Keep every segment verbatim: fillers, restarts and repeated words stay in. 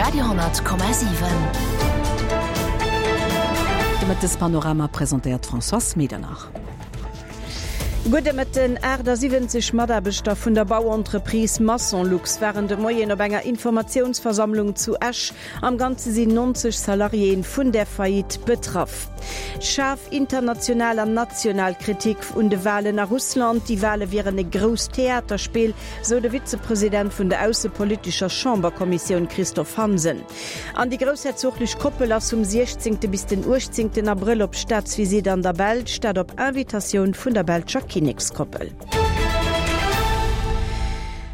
Radio honnert Komma siwen. De Mëttespanorama presentéiert d'Françoise Medernach. Gudde Mëtten. achtasiwwenzeg Mataarbechter vun der Bauentreprise Massonlux waren de Moien op enger Informatiounsversammlung zu Esch. Am Ganze sinn neunzeg Salariéen vun der Faillite betraff. Schaarf international an national Kritik un de Walen a Russland. Déi Wale wieren e grousst Theaterspill, sou de Vizepresident vun der aussepolitescher Chamberkommissioun Christophe Hansen. An déi groussherzoglech Koppel ass vum siechzéngte bis den uechtzéngten Abrëll op Staatsvisitt an der Belsch, dat op Invitatioun vun der belscher Kinnekskoppel.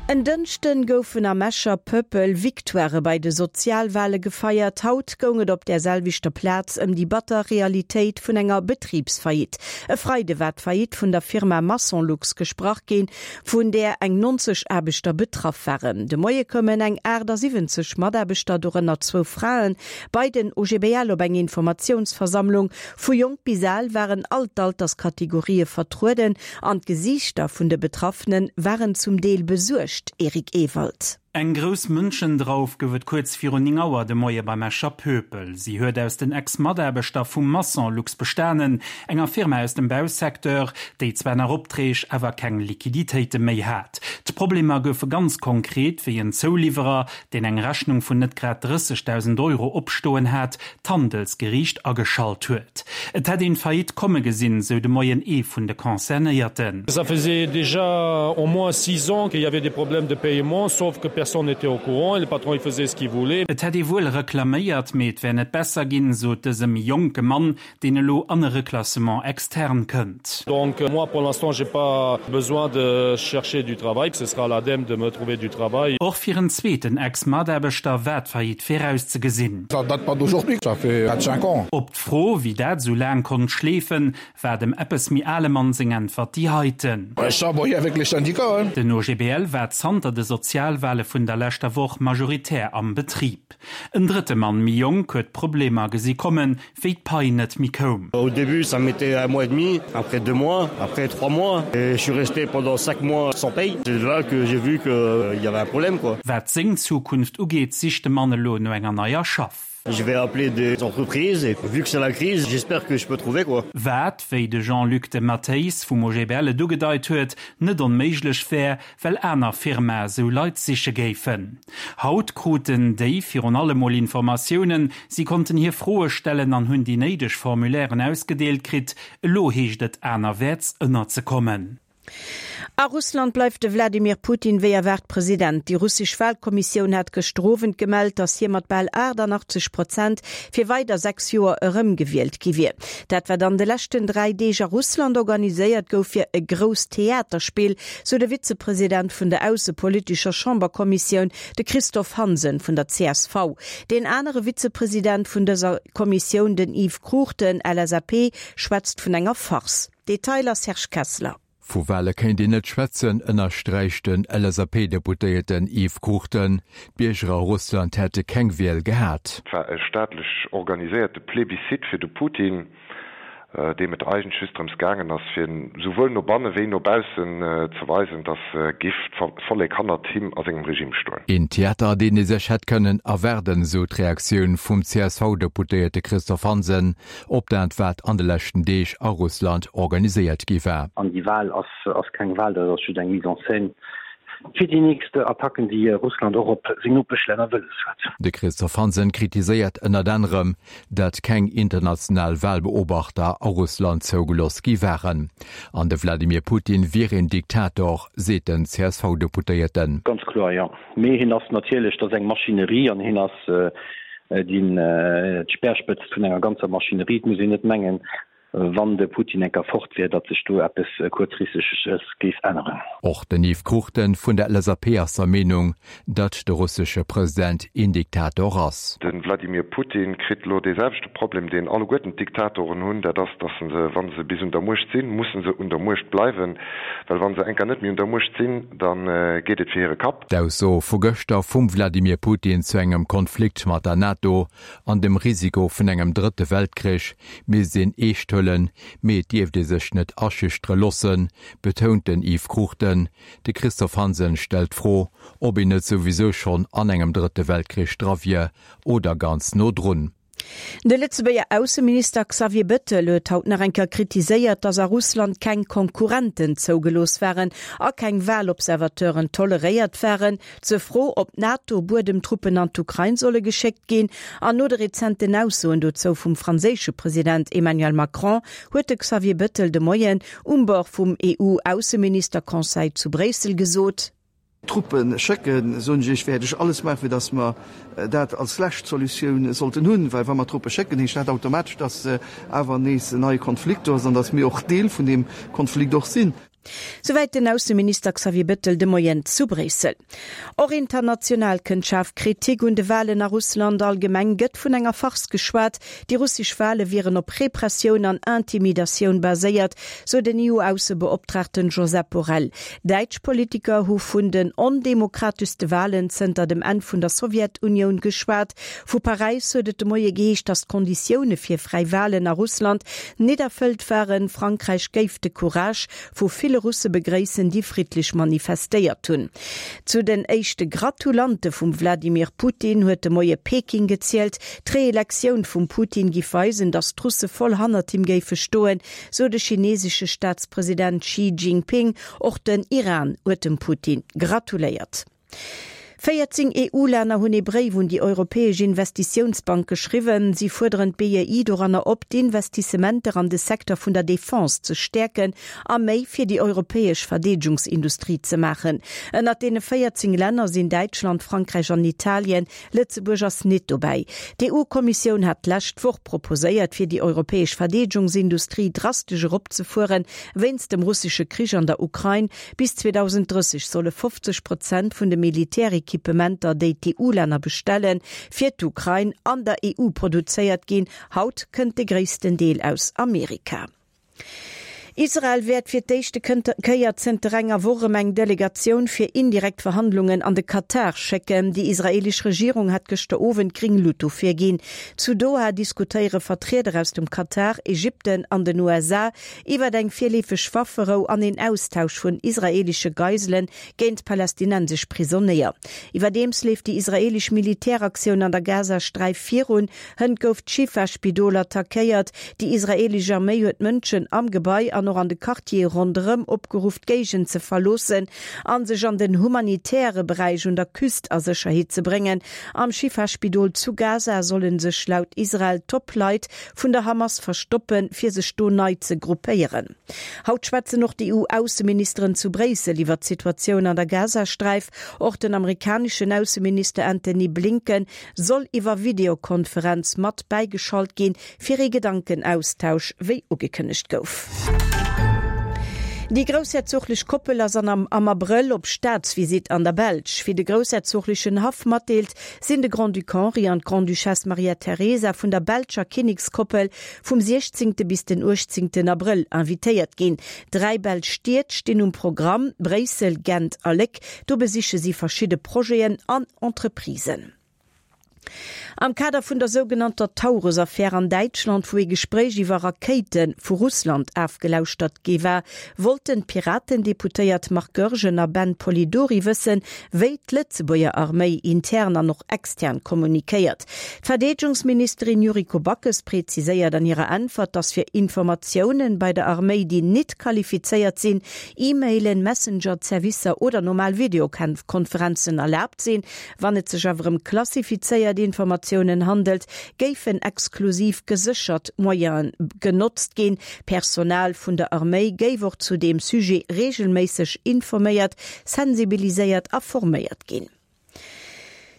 En Dënschden goufen am Escher Pöppel Victoirë bei de Sozialwale gefeiert. Haut goung et op där selwechter Plaz ëm déi batter Realitéit vun enger Betribsfaillite. E Freide war d'Faillite vun der Firma Massonlux gesprach ginn, vun där eng neunzeg Aarbechter betraff waren. De Moie koumen eng achtasiwwenzeg Mataarbechter, dorënner zwou Fraen, bei den O G B L op eng Informatiounsversammlung. Vu jonk bis al waren all d'Alterskategorië vertrueden an d'Gesiichter vun de Betraffene waren zum Deel besuergt. Eric Ewald. Eng grouss Mënschendrauf gouf et kuerz virun néng Auer de Moie beim Escher Pöpel. Si huet aus den Ex-Mataarbechter vum Massonlux bestanen, enger Firma aus dem Bausecteur, déi zwar nach Opträg, awer keng Liquiditéite méi hat. D'Problemer goufe ganz konkret, wéi en Zouliwwerer, deen eng Rechnung vun net grad drëssegdausend Euro opstoen hat, d'Handelsgeriicht ageschalt huet. Et hätt een d'Faillite komme gesinn, sou de Moien ee vun de Concernéierten. Ça faisait déjà au moins six ans qu'il y avait des problèmes de paiement, sauf que personne n'était au courant et le patron il faisait ce qu'il voulait. Et hätt ee wuel reklaméiert, mee et wär net besser ginn, sot dëse méi jonke Mann, deen elo an e Reclassement externe kënnt. Donc moi pour l'instant j'ai pas besoin de chercher du travail, ce sera à l'ADEME de me trouver du travail. Och fir en zweeten Ex-Mataarbechter war d'Faillite virauszegesinn. Ça date pas d'aujourd'hui, ça fait quatre cinq ans. Op d'Fro, wéi dat esou laang konnt schleefen, war dem eppes méi ale Mann seng Äntwert déi heiten. Ouais, ça, bon, avec les syndicats, hein. Den O G B L war zanter de Sozialwale vun der leschter Woch majoritär am Betrib. En drëtte Mann, méi jonk, huet d'Problemer gesi kommen, wéi d'Pai net méi koum. Au début, ça mettait un mois et demi, après deux mois, après trois mois, et je suis resté pendant cinq mois sans paye. C'est là que j'ai vu qu'il y avait un problème, quoi. Wat seng Zukunft ugeet, sicht de Mann elo no enger neier Schaff. Je vais appeler des entreprises et vu que c'est la crise, j'espère que je peux trouver, quoi. Wat, wéi de Jean-Luc de Matteis vum O G B L et ugedeit huet, net onméiglech wär, well aner Firmae sou Leit siche géifen. Haut kruten déi virun allem mol Informatiounen, si konnten hir Froe stellen an hunn déi néideg Formulairen ausgedeelt kritt, elo heescht et anerwäerts ënnerzekommen. A Russland bleift de Wladimir Putin wéi erwaart President. Déi russesch Walkommissioun hat gëschter Owend gemellt, datt hie mat bal achtannachtzeg Prozent fir weider sechs Joer erëmgewielt gi wier. Dat wat an de leschten dräi Deeg a Russland organiséiert gouf, wier e grousst Theaterspill, sou de Vizepresident vun der aussepolitescher Chamberkommissioun, de Christophe Hansen vun der C S V. Den anere Vizepresident vun dëser Kommissioun, den Yves Cruchten, L S A P, schwätzt vun enger Farce. Detailer Serge Kessler. Vu Wale kéint een net schwätzen, ënnersträicht den L S A P-Deputéierten Yves Cruchten. D'Bierger a Russland hätte keng Wiel gehat. Et war e staatlech organiséierte Plebiscite fir de Putin, deem et eigentlech just drëms gaangen ass, fir souwuel no banne wéi no baussen ze weisen, datt géif d'Vollek hannert him a sengem Regime stoen. Een Theater, deen ee sech hätt kënnen erwaarden, sou d'Reaktioun vum C S V-Deputéierte Christophe Hansen op dat, wat an de leschten Deeg a Russland organiséiert gi war. An déi Wal ass, ass keng Wal, dat ass just eng Mise en scène fir déi nächst Attacken, déi Russland och op seng Nopeschlänner wëlles huet. De Christophe Hansen kritiséiert ënnert anerem, datt keng international Walbeobachter a Russland zougelooss gi waren. An de Wladimir Putin wier een Diktator, seet den C S V-Deputéierten. Ganz kloer, jo. Mee hien ass natierlech, dat ass eng Maschinerie an hien ass deen d'Speerspëtzt vun enger ganzer Maschinerie. Et muss een net mengen, wann de Putin enker fort wier, datt sech do eppes Kuerzfristeges géif änneren. Och den Yves Cruchten vun der L S A P ass der Meenung, datt de russesche President een Diktator ass. De Wladimir Putin kritt elo dee selwechte Problem, deen alleguerten d'Diktatoren hunn, dat ass, datt se, wa se bis un der Muecht sinn, musse se un der Muecht bleiwen, well wa se enker net méi un der Muecht sinn, da geet et fir hire Kapp. D'Ausso vu gëschter vum Wladimir Putin zu engem Konflikt mat der NATO an dem Risiko vun engem drëtte Weltkrich misst een eescht huelen. huelen, mee et dierft ee sech net aschüchtere loossen, betount den Yves Cruchten. De Christophe Hansen stellt d'Fro, ob een net souwisou schonn an engem Drëtte Weltkrich dra wier oder ganz no drun. De Lëtzebuerger Ausseminister Xavier Bettel huet haut nach eng Kéier kritiséiert, datt a Russland keng Konkurrenten zougelooss waren a keng Walobservateuren toleréiert waren. Zur Fro, ob NATO-Buedemtruppen an d'Ukrain solle geschéckt ginn an no de rezenten Aussoen dozou vum franséische President Emmanuel Macron, huet de Xavier Bettel de Moien um Bord vum EU-Ausseminister-Conseil zu Bréissel gesot. Truppe schécken, soen ech iech, wäert ech alles maachen, fir datt mer dat als lescht Solutioun sollten hunn. Well wa mer Truppe schécken, heescht dat automatesch, datt awer nees en neie Konflikt do ass an datt mir och Deel vun deem Konflikt och sinn. Souwäit den Ausseminister Xavier Bettel de Moien zu Bréissel. Och international kënnt schaarf Kritik un de Walen a Russland. Allgemeng gëtt vun enger Farce geschwat. Déi russesch Wale wieren op Repressioun an Intimidatioun baséiert, sou den EU-Aussebeoptraagten Josep Borrell. Däitsch Politiker hu vun den ondemokrateschste Walen zënter dem Enn vun der Sowjetunioun geschwat. Vu Paräis huet et de Moie geheescht, datt d'Konditioune fir fräi Walen a Russland net erfëllt waren. Frankräich géif de Courage vu ville Russe begréissen, déi friddlech manifestéiert hunn. Zu den éischte Gratulante vum Wladimir Putin huet de Moie Peking gezielt. D'Reelektioun vum Putin giff weisen, datt d'Russe voll hannert him géife stoen, sou de chinesesche Staatspresident Xi Jinping. Och den Iran huet dem Putin gratuléiert. Véierzéng EU-Länner hunn ee Bréif un déi Europäesch Investitiounsbank geschriwwen. Si fuerderen d'BEI doranner op, d'Investissementer an de Secteur vun der Defense ze stäerken a méi fir déi europäesch Verdeedegungsindustrie ze maachen. Ënnert deene véierzéng Länner sinn Däitschland, Frankräich an Italien. Lëtzebuerg ass nit dobäi. D'EU-Kommissioun hat d'lescht Woch proposéiert, fir déi europäesch Verdeedegungsindustrie drastesch eropzefueren, wéinst dem russesche Krich an der Ukrain. Bis zweedausenddrësseg solle fofzeg Prozent vun de Militärequipementer, déi d'EU-Länner bestellen, fir d'Ukrain an der E U produzéiert ginn. Haut kënnt de gréissten Deel aus Amerika. Israel wäert fir d'éischte Kéier zënter enger Woch erëm eng Delegatioun fir indirekt Verhandlungen an de Katar schécken. Déi israeelesch Regierung hat gëschter Owend gréng Lut dofir ginn. Zu Doha diskutéiere Vertrieder aus dem Katar, Ägypten an den U S A iwwer eng virleefeg Wafferou an een Austausch vun israeelesche Geiselen géint palästinensesch Prisonéier. Iwwerdeems leeft déi israeelesch Militäraktioun an der Gazasträif virun. Hënt gouf d'Schifa-Spidol attackéiert. Déi israeelesch Arméi huet d'Mënschen am Gebai an och an de Quartiere ronderëm opgeruff, d'Géigend ze verloossen a sech an den humanitäre Beräich un der Küst a Sécherheet ze bréngen. Am Schifa-Spidol zu Gaza solle sech laut Israel Top-Leit vun der Hamas verstoppen, fir sech do nei ze gruppéieren. Haut schwätzen och d'E U-Ausseministeren zu Bréissel iwwer d'Situatioun an der Gazasträif. Och den amerikaneschen Ausseminister Antony Blinken soll iwwer Videokonferenz mat bäigeschalt ginn, fir ee Gedankenaustausch, wéi ugekënnegt gouf. Déi groussherzoglech Koppel ass an am am Abrëll op Staatsvisitt an der Belsch. Wéi de groussherzoglechen Haff matdeelt, sinn de Grand-Duc Henri an d'Grande-Duchesse Maria Teresa vun der belscher Kinnekskoppel vum siechzéngte bis den uechtzéngten Abrëll invitéiert ginn. Dräi belsch Stied stinn um Programm, Bréissel, Gent a Léck. Do besiche si verschidde Projeten an Entreprisen. Am Kader vun der sougenannter Taurus-Affär an Däitschland, wou ee Gespréich iwwer Rakéite vu Russland afgelauschtert gi war, wollten d'Piraten-Deputéiert Marc Goergen a Ben Polidori wëssen, wéi d'Lëtzebuerger Arméi intern an och extern kommunikéiert. D'Verdeedegungsministerin Yuriko Backes präziséiert an hirer Äntwert, datt fir Informatiounen bei der Arméi, déi nit qualifizéiert sinn, E-Mailen, Messenger-Servicer oder normal Videokonferenzen erlaabt sinn. Wann et sech awer ëm klassifizéiert Informatiounen handelt, géifen exklusiv geséchert Moyene genotzt ginn. Personal vun der Arméi géif och zu deem Sujet reegelméisseg informéiert, sensibiliséiert a forméiert ginn.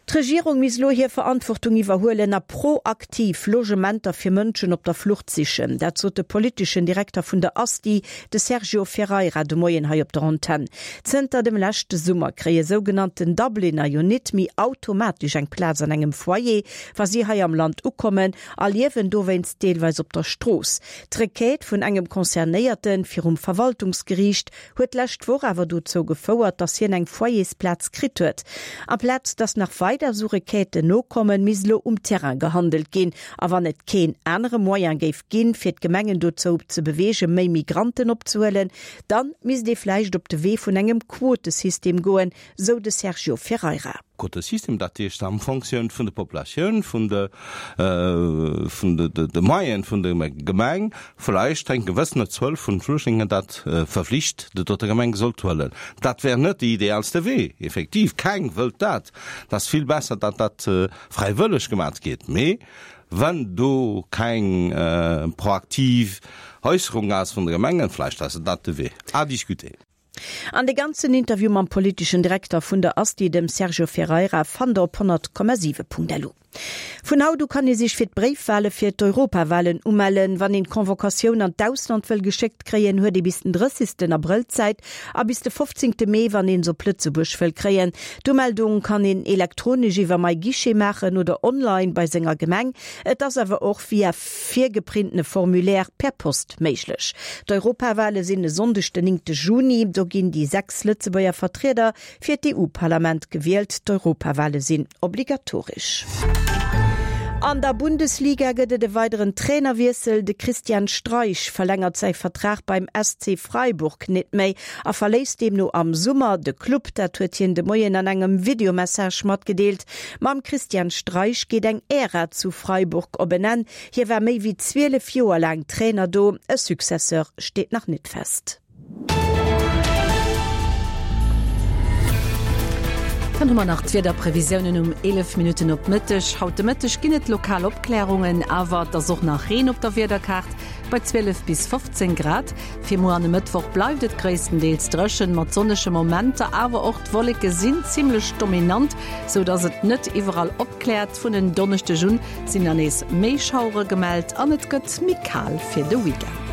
D'Regierung misst elo hir Verantwortung iwwerhuelen a proaktiv Logementer fir Mënschen op der Flucht sichen. Dat sot de politeschen Direkter vun der ASTI, de Sergio Ferreira, de Moien hei op der Antenn. Zënter dem leschte Summer kréie sougenannten Dubliner jo nit méi automatesch eng Plaz an engem Foyer, wa si hei am Land ukommen a liewen dowéinst deelweis op der Strooss. D'Requête vun engem Concernéierte virum Verwaltungsgeriicht huet d'lescht Woch awer dozou gefouert, datt hien eng Foyersplaz kritt huet. Amplaz datt nach weider weider esou Requêten nokommen, misst elo um Terrain gehandelt ginn. A wann et keen anere Moyen géif ginn, fir d'Gemengen dozou ze beweegen, méi Migranten opzehuelen, dann misst ee vläicht op de Wee vun engem Quotesystem goen, sou de Sergio Ferreira. Quotesystem, dat heescht am Fonctioun vun der Populatioun, vun de vun de de Moyene vun der Gemeng, vläicht eng gewëssene Zuel vun Flüchtlingen dat verflicht déi dote Gemeng sollt huelen. Dat wär net de idealste Wee, effektiv, keng wëllt dat, dat ass vill besser, datt dat fräiwëlleg gemat gétt, mee wann do keng proaktiv Äusserung ass vun de Gemengen, vläicht ass dat de Wee. À discuter. An de ganzen Interview mam politeschen Direkter vun der ASTI, dem Sergio Ferreira, fannt der op honnert Komma siwe Punkt lu. Vun haut u kann ee sech fir d'Bréifwale fir d'Europawalen umellen. Wann een d'Convocatioun an d'Ausland wëll geschéckt kréien, huet ee bis den drëssigsten Abrëll Zäit a bis de fofzéngte Mee, wann een se op Lëtzebuerg wëll kréien. D'Umeldung kann een elektronesch iwwer MyGuichet maachen oder online bei senger Gemeng. Et ass awer och via virgeprintene Formulaire per Post méiglech. D'Europawale sinn e Sonndeg den néngte Juni. Do ginn déi sechs Lëtzebuerger Vertrieder fir d'EU-Parlament gewielt. D'Europawale sinn obligatoresch. An der Bundesliga gëtt et e weideren Trainerwiessel. De Christian Streich verlängert säi Vertrag beim S C Freiburg net méi a verléisst deemno am Summer de Club. Dat huet hien de Moien an engem Videomessage matgedeelt. Mam Christian Streich geet eng Ära zu Freiburg op en Enn. Hie war méi wéi zwielef Joer laang Trainer do. E Successeur steet nach net fest. Dann hu mer nach d'Wiederprevisiounen um eelef Minutten op Mëtteg. Haut de Mëtteg ginn et lokal Opklärungen, awer et ass och nach Reen op der Wiederkaart bei zwielef bis fofzéng Grad. Fir muer an e Mëttwoch bleift et gréisstendeels dréchen, mat sonnege Momenter, awer och d'Wolleke sinn zimmlech dominant, sou dass et net iwwerall opkläert. Vun en Donneschdeg un sinn dann nees méi Schauere gemellt an et gëtt méi kal fir de Weekend.